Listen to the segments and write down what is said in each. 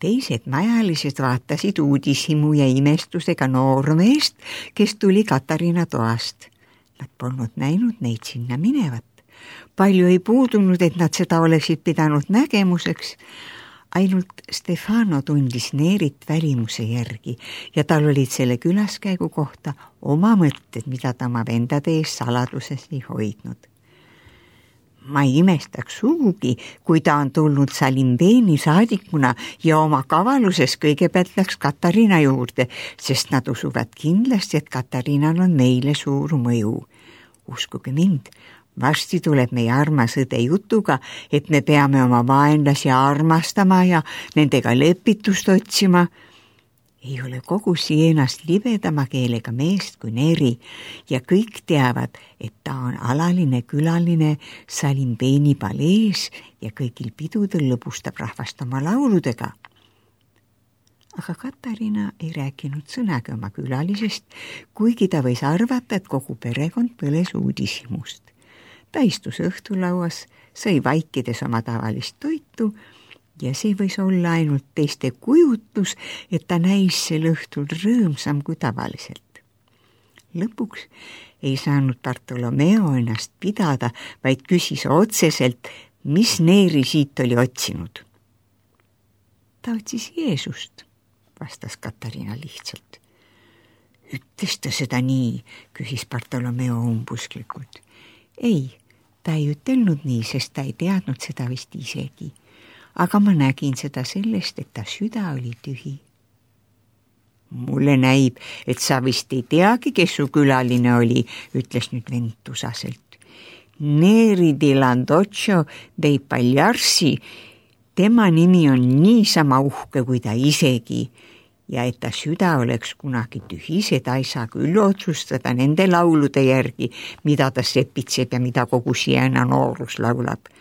Teised majalised vaatasid uudishimu ja imestusega noormeest, kes tuli Katariina toast. Nad polnud näinud neid sinna minevat. Palju ei puudunud, et nad seda oleksid pidanud nägemuseks. Ainult Stefano tundis Neerit välimuse järgi ja tal olid selle külaskäigu kohta oma mõtted, mida ta oma vendade ees saladuses ei hoidnud. Ma ei imestaks sugugi, kui ta on tulnud Salimbeeni saadikuna ja oma kavaluses kõigepealt läks Katariina juurde, sest nad usuvad kindlasti, et Katariinal on meile suur mõju. Uskuge mind, varsti tuleb meie armas õde jutuga, et me peame oma vaenlasi armastama ja nendega lepitust otsima. Ei ole kogu Sienast libedama keelega meest kui Neri ja kõik teavad, et ta on alaline külaline Salimbeeni palees ja kõigil pidudel lõbustab rahvast oma lauludega. Aga Katariina ei rääkinud sõnaga oma külalisest, kuigi ta võis arvata, et kogu perekond põles uudishimust. Ta istus õhtulauas, sõi vaikides oma tavalist toitu ja see võis olla ainult teiste kujutlus, et ta näis sel õhtul rõõmsam kui tavaliselt. Lõpuks ei saanud Bartolomeo ennast pidada, vaid küsis otseselt, mis Neeri siit oli otsinud. Ta otsis Jeesust, vastas Katariina lihtsalt. Ütles ta seda nii, küsis Bartolomeo umbusklikult. Ei, ta ei ütelnud nii, sest ta ei teadnud seda vist isegi. Aga ma nägin seda sellest, et ta süda oli tühi. Mulle näib, et sa vist ei teagi, kes su külaline oli, ütles nüüd vend tusaselt. Neri di Landoccio dei Pagliarsi, tema nimi on niisama uhke kui ta isegi ja et ta süda oleks kunagi tühi, seda ei saa küll otsustada nende laulude järgi, mida ta sepitseb ja mida kogu Siena noorus laulab.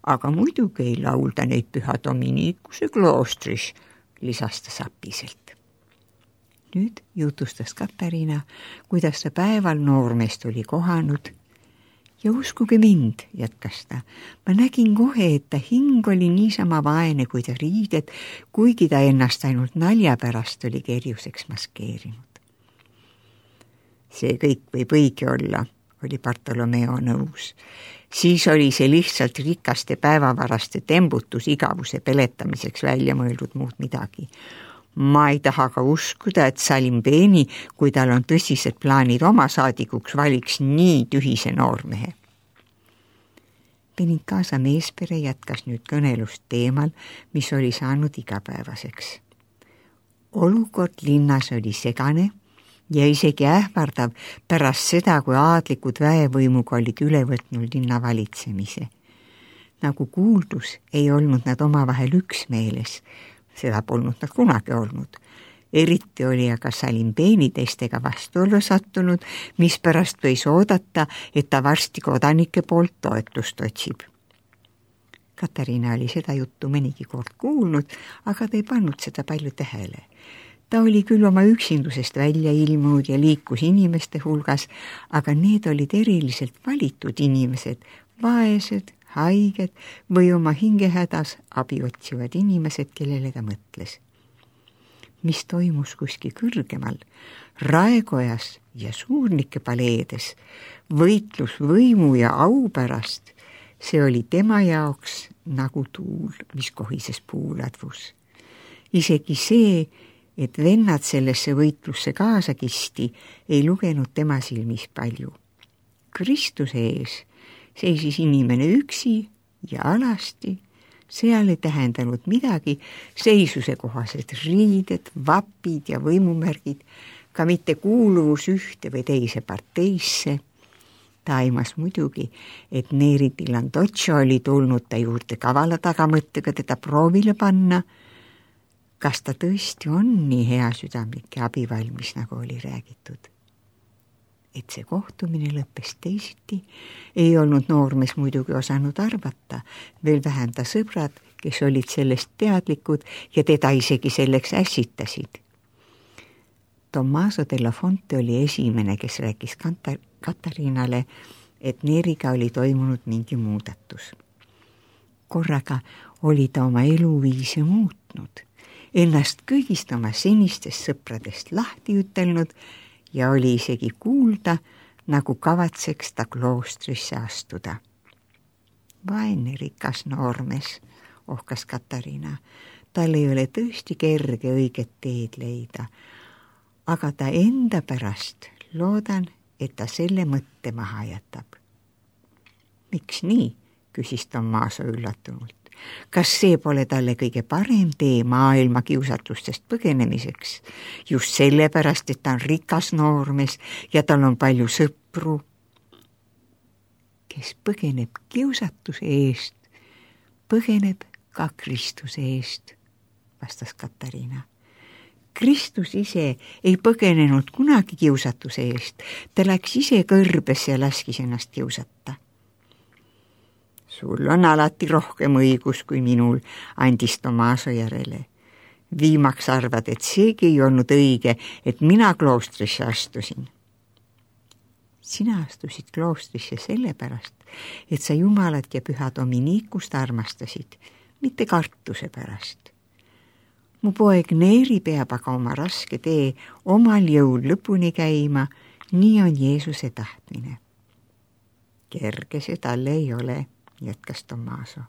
Aga muidugi ei laulda neid Püha Dominikuse kloostris, lisas ta sapiselt. Nüüd jutustas Katariina, kuidas ta päeval noormeest oli kohanud ja uskuge mind, jätkas ta, ma nägin kohe, et ta hing oli niisama vaene kui ta riided, kuigi ta ennast ainult nalja pärast oli kerjuseks maskeerinud. See kõik võib õige olla, oli Bartolomeo nõus. Siis oli see lihtsalt rikaste päevavaraste tembutus igavuse peletamiseks välja mõeldud muud midagi. Ma ei taha ka uskuda, et Salimbeeni, kui tal on tõsised plaanid oma saadikuks, valiks nii tühise noormehe. Benincasa meespere jätkas nüüd kõnelust teemal, mis oli saanud igapäevaseks. Olukord linnas oli segane ja isegi ähvardav pärast seda, kui aadlikud väevõimuga olid üle võtnud linna valitsemise. Nagu kuuldus, ei olnud nad omavahel üksmeeles, seda polnud nad kunagi olnud. Eriti oli aga Salimbeeni teistega vastuollu sattunud, mispärast võis oodata, et ta varsti kodanike poolt toetust otsib. Katariina oli seda juttu mõnigi kord kuulnud, aga ta ei pannud seda palju tähele. Ta oli küll oma üksindusest välja ilmunud ja liikus inimeste hulgas, aga need olid eriliselt valitud inimesed, vaesed, haiged või oma hingehädas abi otsivad inimesed, kellele ta mõtles. Mis toimus kuskil kõrgemal, raekojas ja suurnike paleedes, võitlus võimu ja au pärast, see oli tema jaoks nagu tuul, mis kohises puuladvus. Isegi see, et vennad sellesse võitlusse kaasa kisti, ei lugenud tema silmis palju. Kristuse ees seisis inimene üksi ja alasti, seal ei tähendanud midagi seisuse kohased riided, vapid ja võimumärgid, ka mitte kuuluvus ühte või teise parteisse. Ta aimas muidugi, et Neri di Landoccio oli tulnud ta juurde kavala tagamõttega teda proovile panna. Kas ta tõesti on nii hea südamlik ja abivalmis, nagu oli räägitud? Et see kohtumine lõppes teisiti, ei olnud noormees muidugi osanud arvata, veel vähem ta sõbrad, kes olid sellest teadlikud ja teda isegi selleks ässitasid. Tommaso della Fonte oli esimene, kes rääkis Katariinale, et Neriga oli toimunud mingi muudatus. Korraga oli ta oma eluviise muutnud ennast kõigist oma senistest sõpradest lahti ütelnud ja oli isegi kuulda, nagu kavatseks ta kloostrisse astuda. Vaene rikas noormees, ohkas Katariina. Tal ei ole tõesti kerge õiget teed leida, aga ta enda pärast loodan, et ta selle mõtte maha jätab. Miks nii? Küsis Tommaso üllatunult. Kas see pole talle kõige parem tee maailma kiusatustest põgenemiseks? Just sellepärast, et ta on rikas noormees ja tal on palju sõpru. Kes põgeneb kiusatuse eest, põgeneb ka Kristuse eest, vastas Katariina. Kristus ise ei põgenenud kunagi kiusatuse eest, ta läks ise kõrbesse ja laskis ennast kiusata. Sul on alati rohkem õigus kui minul, andis Tommaso järele. Viimaks arvad, et seegi ei olnud õige, et mina kloostrisse astusin. Sina astusid kloostrisse sellepärast, et sa Jumalat ja püha Dominikust armastasid, mitte kartuse pärast. Mu poeg Neeri peab aga oma raske tee omal jõul lõpuni käima, nii on Jeesuse tahtmine. Kerge see talle ei ole, jätkas Tommaso.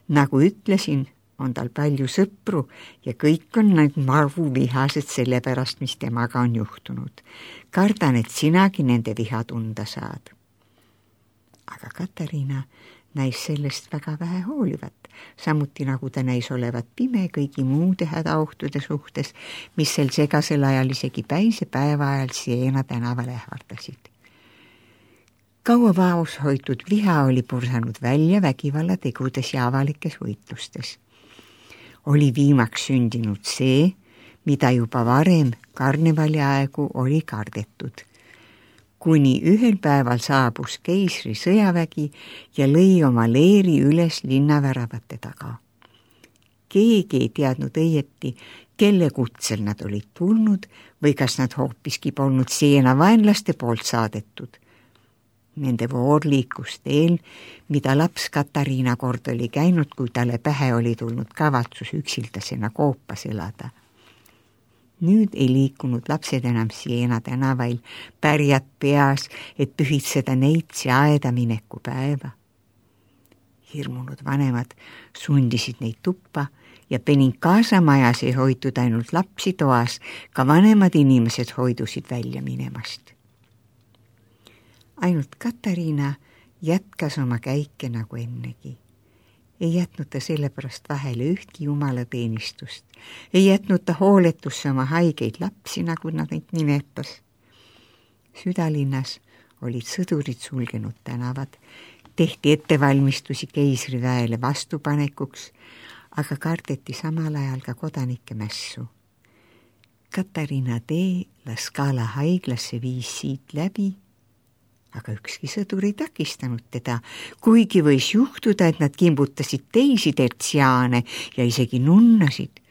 Nagu ütlesin, on tal palju sõpru ja kõik on nad marvuvihased selle pärast, mis temaga on juhtunud. Kardan, et sinagi nende viha tunda saad. Aga Katariina näis sellest väga vähe hoolivat, samuti nagu ta näis olevat pime kõigi muude hädaohtude suhtes, mis sel segasel ajal isegi päise päeva ajal Siena tänaval ähvardasid. Kaua vaos hoitud viha oli pursanud välja vägivallategudes ja avalikes võitlustes. Oli viimaks sündinud see, mida juba varem karnevali aegu oli kardetud. Kuni ühel päeval saabus keisri sõjavägi ja lõi oma leeri üles linnaväravate taga. Keegi ei teadnud õieti, kelle kutsel nad olid tulnud või kas nad hoopiski polnud Siena vaenlaste poolt saadetud. Nende voor liikus teel, mida laps Katariina kord oli käinud, kui talle pähe oli tulnud kavatsus üksildasena koopas elada. Nüüd ei liikunud lapsed enam Siena tänavail, pärjad peas, et pühitseda neitsi aeda mineku päeva. Hirmunud vanemad sundisid neid tuppa ja Benincasa majas ei hoitud ainult lapsi toas, ka vanemad inimesed hoidusid välja minemast. Ainult Katariina jätkas oma käike nagu ennegi. Ei jätnud ta sellepärast vahele ühtki jumalateenistust. Ei jätnud ta hooletusse oma haigeid lapsi, nagu nad neid nimetas. Südalinnas olid sõdurid sulgenud tänavad, tehti ettevalmistusi keisriväele vastupanekuks, aga kardeti samal ajal ka kodanike mässu. Katariina tee La Scala haiglasse viis siit läbi, aga ükski sõdur ei takistanud teda, kuigi võis juhtuda, et nad kimbutasid teisi tertsiaane ja isegi nunnasid.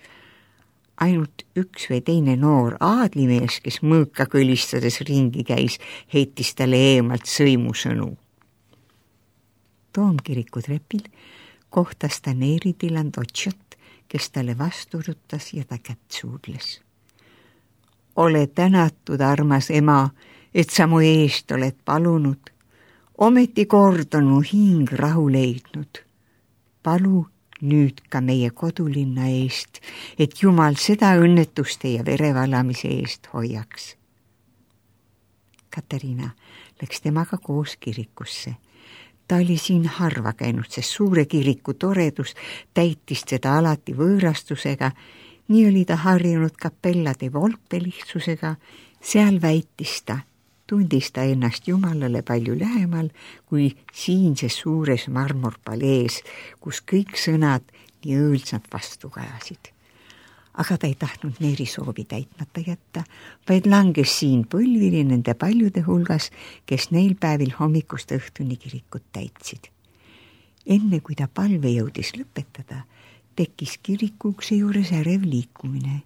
Ainult üks või teine noor aadlimees, kes mõõka kõlistades ringi käis, heitis talle eemalt sõimusõnu. Toomkiriku trepil kohtas ta Neeri Dilandotšot, kes talle vastu rutas ja ta kätt suudles. Ole tänatud, armas ema, et sa mu eest oled palunud. Ometi kord on mu hing rahu leidnud. Palu nüüd ka meie kodulinna eest, et Jumal seda õnnetuste ja verevalamise eest hoiaks. Katariina läks temaga koos kirikusse. Ta oli siin harva käinud, sest suure kiriku toredus täitis teda alati võõrastusega. Nii oli ta harjunud kapellade volpelihtsusega, seal väitis ta, tundis ta ennast Jumalale palju lähemal kui siinses suures marmorpalees, kus kõik sõnad nii õõlsalt vastu kajasid. Aga ta ei tahtnud Neeri soovi täitmata jätta, vaid langes siin põlvili nende paljude hulgas, kes neil päevil hommikust õhtuni kirikut täitsid. Enne kui ta palve jõudis lõpetada, tekkis kirikuukse juures ärev liikumine.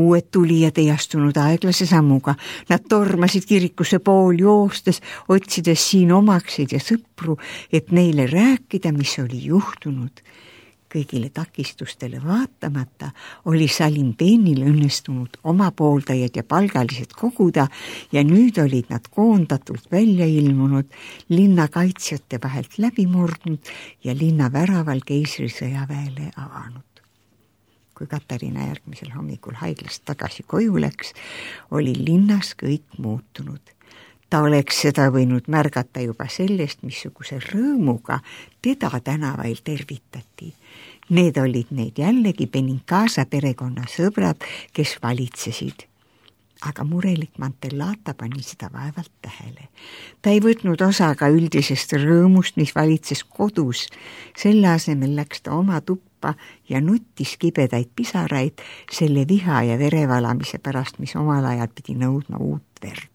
Uued tulijad ei astunud aeglase sammuga. Nad tormasid kirikusse pool joostes, otsides siin omakseid ja sõpru, et neile rääkida, mis oli juhtunud. kõigile takistustele vaatamata oli Salimbeenil õnnestunud oma pooldajad ja palgalised koguda ja nüüd olid nad koondatult välja ilmunud, linna kaitsjate vahelt läbi murdnud ja linna väraval keisrisõjaväele avanud. Kui Katariina järgmisel hommikul haiglast tagasi koju läks, oli linnas kõik muutunud. Ta oleks seda võinud märgata juba sellest, missuguse rõõmuga teda tänavail tervitati. Need olid need jällegi Benincasa perekonna sõbrad, kes valitsesid. Aga murelik Mantellata pani seda vaevalt tähele. Ta ei võtnud osa ka üldisest rõõmust, mis valitses kodus. Selle asemel läks ta oma tuppa ja nuttis kibedaid pisaraid selle viha ja verevalamise pärast, mis omal ajal pidi nõudma uut verd.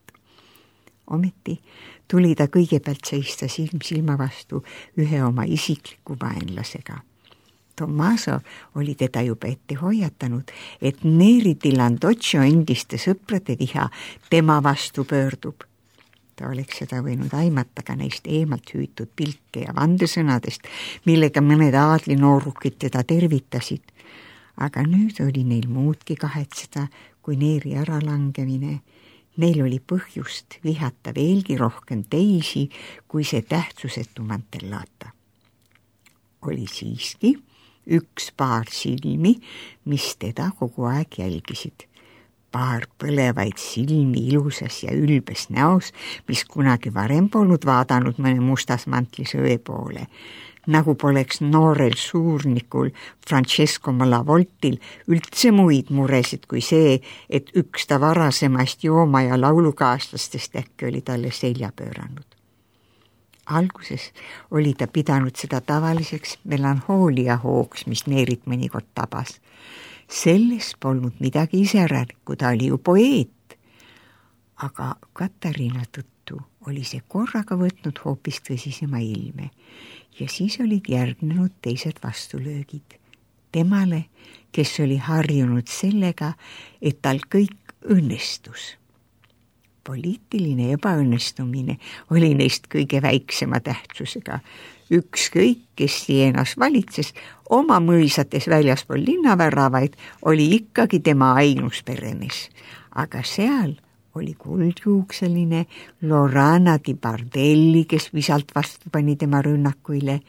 Ometi tuli ta kõigepealt seista silm silma vastu ühe oma isikliku vaenlasega. Tommaso oli teda juba ette hoiatanud, et Neri di Landoccio endiste sõprade viha tema vastu pöördub. Ta oleks seda võinud aimata ka neist eemalt hüütud pilke ja vandesõnadest, millega mõned aadlinoorukid teda tervitasid. Aga nüüd oli neil muudki kahetseda kui Neri äralangemine. Neil oli põhjust vihata veelgi rohkem teisi kui see tähtsusetu Mantellata. Oli siiski üks paar silmi, mis teda kogu aeg jälgisid. Paar põlevaid silmi ilusas ja ülbes näos, mis kunagi varem polnud vaadanud mõne mustas mantlis õe poole. Nagu poleks noorel suurnikul Francesco Malavoltil üldse muid muresid kui see, et üks ta varasemast jooma ja laulukaaslastest äkki oli talle selja pööranud. Alguses oli ta pidanud seda tavaliseks melanhoolia hoogs, mis Neerit mõnikord tabas. Selles polnud midagi iseräärikku, ta oli ju poeet. Aga Katariina tõttu oli see korraga võtnud hoopis tõsisema ilme ja siis olid järgnenud teised vastulöögid. Temale, kes oli harjunud sellega, et tal kõik õnnestus. Poliitiline ebaõnnestumine oli neist kõige väiksema tähtsusega. Ükskõik, kes Sienas valitses, oma mõisates väljaspool linnaväravaid oli ikkagi tema ainus peremees. Aga seal oli kuldjuukseline Lorana di Bardelli, kes visalt vastu pani tema rünnakuile,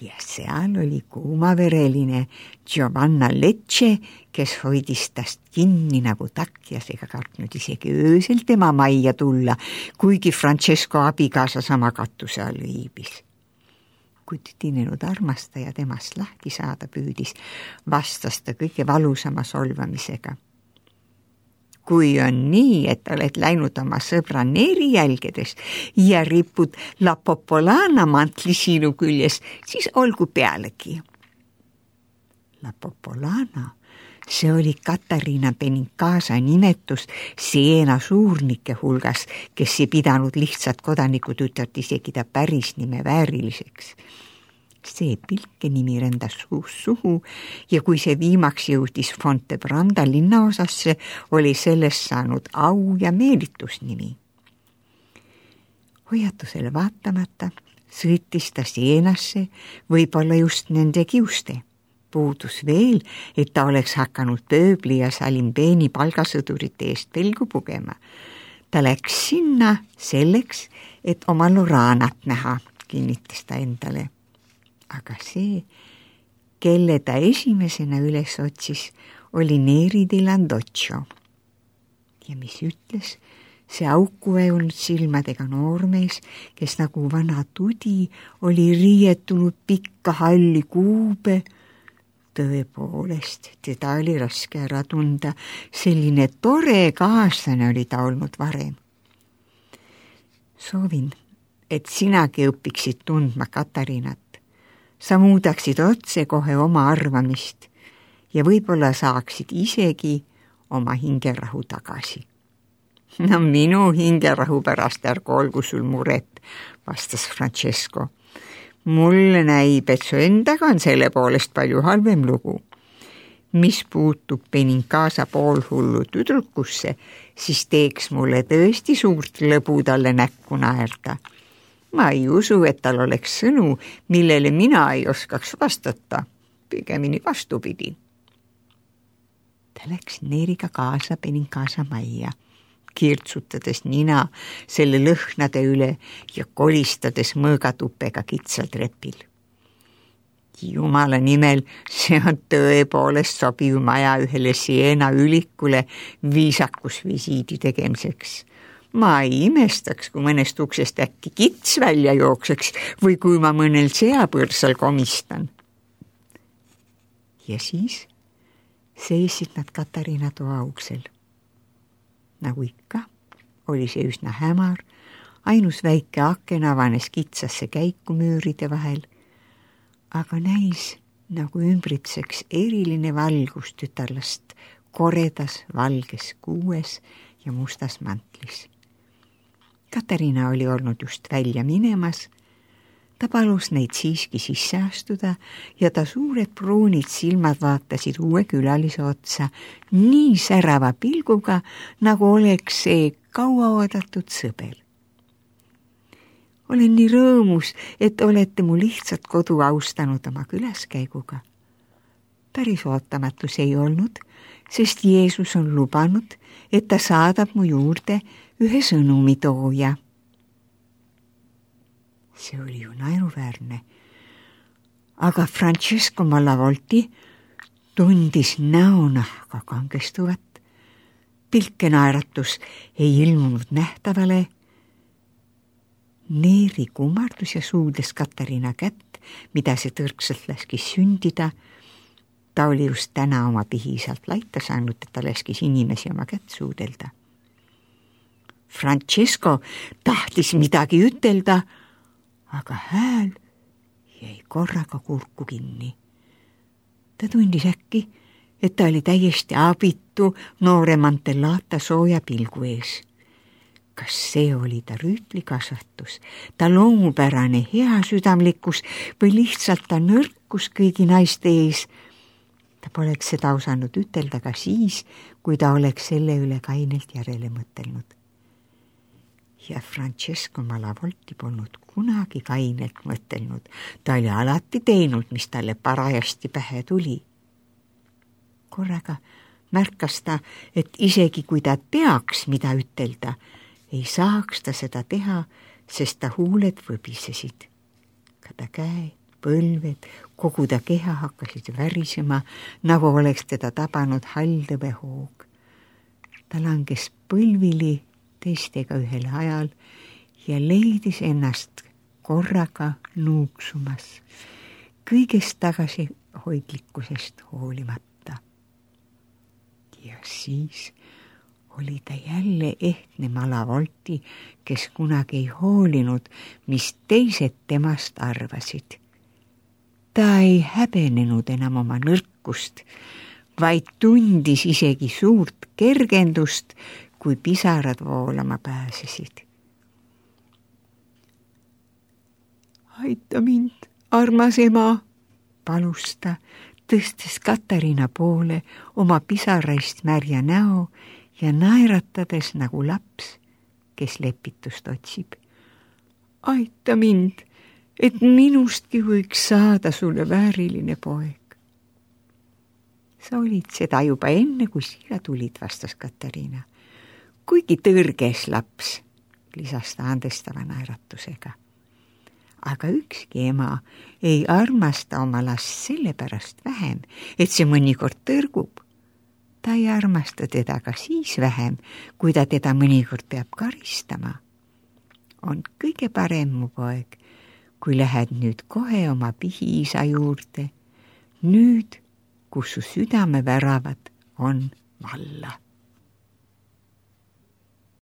ja seal oli kuumavereline Giovanna Lecce, kes hoidis tast kinni nagu takjas ega kartnud isegi öösel tema majja tulla, kuigi Francesco abikaasa sama katuse all viibis. Kui tüdinenud armastaja temast lahti saada püüdis, vastas ta kõige valusama solvamisega. Kui on nii, et oled läinud oma sõbra Neri jälgedes ja ripud La Popolana mantli sinu küljes, siis olgu pealegi. La Popolana, see oli Katariina Benincasa nimetus Siena suurnike hulgas, kes ei pidanud lihtsalt kodanikutütart isegi ta päris nime vääriliseks. See pilke nimi rendas suhu ja kui see viimaks jõudis Fontebranda linnaosasse, oli sellest saanud au ja meelitusnimi. Hoiatusele vaatamata sõitis ta Sienasse, võib-olla just nende kiuste. Puudus veel, et ta oleks hakanud Pööbli ja Salimbeeni palgasõdurite eest pelgu pugema. Ta läks sinna selleks, et oma Loranat näha, kinnitas ta endale. Aga see, kelle ta esimesena üles otsis, oli Neri di Landoccio. Ja mis ütles see auku väjunud silmadega noormees, kes nagu vana tudi oli riietunud pikka halli kuube. Tõepoolest, teda oli raske ära tunda, selline tore kaaslane oli ta olnud varem. Soovin, et sinagi õpiksid tundma Katariinat. Sa muudaksid otse kohe oma arvamist ja võib-olla saaksid isegi oma hingerahu tagasi. No minu hingerahu pärast ärgu olgu sul muret, vastas Francesco. Mulle näib, et su endaga on selle poolest palju halvem lugu. Mis puutub Benincasa poolhullu tüdrukusse, siis teeks mulle tõesti suurt lõbu talle näkku naerda. Ma ei usu, et tal oleks sõnu, millele mina ei oskaks vastata. pigemini vastupidi. Ta läks Neeriga kaasa Beninkaasa majja, kirtsutades nina selle lõhnade üle ja kolistades mõõgatupega kitsal trepil. Jumala nimel, see on tõepoolest sobiv maja ühele Siena ülikule viisakusvisiidi tegemiseks. Ma ei imestaks, kui mõnest uksest äkki kits välja jookseks või kui ma mõnel seapõrsal komistan. Ja siis seisid nad Katariina toa uksel. Nagu ikka, oli see üsna hämar, ainus väike aken avanes kitsasse käiku müüride vahel, aga näis nagu ümbritseks eriline valgus tütarlast koredas valges kuues ja mustas mantlis. Katariina oli olnud just välja minemas. Ta palus neid siiski sisse astuda ja ta suured pruunid silmad vaatasid uue külalise otsa nii särava pilguga, nagu oleks see kauaoodatud sõber. Olen nii rõõmus, et olete mu lihtsalt kodu austanud oma külaskäiguga. Päris ootamatu see ei olnud, sest Jeesus on lubanud, et ta saadab mu juurde ühe sõnumitooja. See oli ju naeruväärne. Aga Francesco Malavolti tundis näonahka kangestuvat. Pilke naeratus ei ilmunud nähtavale. Neeri kummardus ja suudes Katariina kätt, mida see tõrksalt laskis sündida. Ta oli just täna oma pihisalt laita saanud, et ta laskis inimesi oma kätt suudelda. Francesco tahtis midagi ütelda, aga hääl jäi korraga kurku kinni. Ta tundis äkki, et ta oli täiesti abitu noore Mantellata sooja pilgu ees. Kas see oli ta rüütlikasvatus, ta loomupärane heasüdamlikkus või lihtsalt ta nõrkus kõigi naiste ees? Ta poleks seda osanud ütelda ka siis, kui ta oleks selle üle kainelt järele mõtelnud. Ja Francesco Malavolti polnud kunagi kainelt mõtelnud. Ta oli alati teinud, mis talle parajasti pähe tuli. Korraga märkas ta, et isegi kui ta teaks, mida ütelda, ei saaks ta seda teha, sest ta huuled võbisesid. Ka ta käe, põlved, kogu ta keha hakkasid värisema, nagu oleks teda tabanud haldõbehoog. Ta langes põlvili teistega ühel ajal ja leidis ennast korraga nuuksumas, kõigest tagasihoidlikkusest hoolimata. Ja siis oli ta jälle ehtne Malavolti, kes kunagi ei hoolinud, mis teised temast arvasid. Ta ei häbenenud enam oma nõrkust, vaid tundis isegi suurt kergendust, kui pisarad voolama pääsesid. Aita mind, armas ema, palus ta, tõstes Katariina poole oma pisaraist märja näo ja naeratades nagu laps, kes lepitust otsib. Aita mind, et minustki võiks saada sulle vääriline poeg. Sa olid seda juba enne, kui siia tulid, vastas Katariina. Kuigi tõrges laps, lisas ta andestava naeratusega. Aga ükski ema ei armasta oma last sellepärast vähem, et see mõnikord tõrgub. Ta ei armasta teda ka siis vähem, kui ta teda mõnikord peab karistama. On kõige parem, mu poeg, kui lähed nüüd kohe oma pihiisa juurde, nüüd, kus su südameväravad on valla.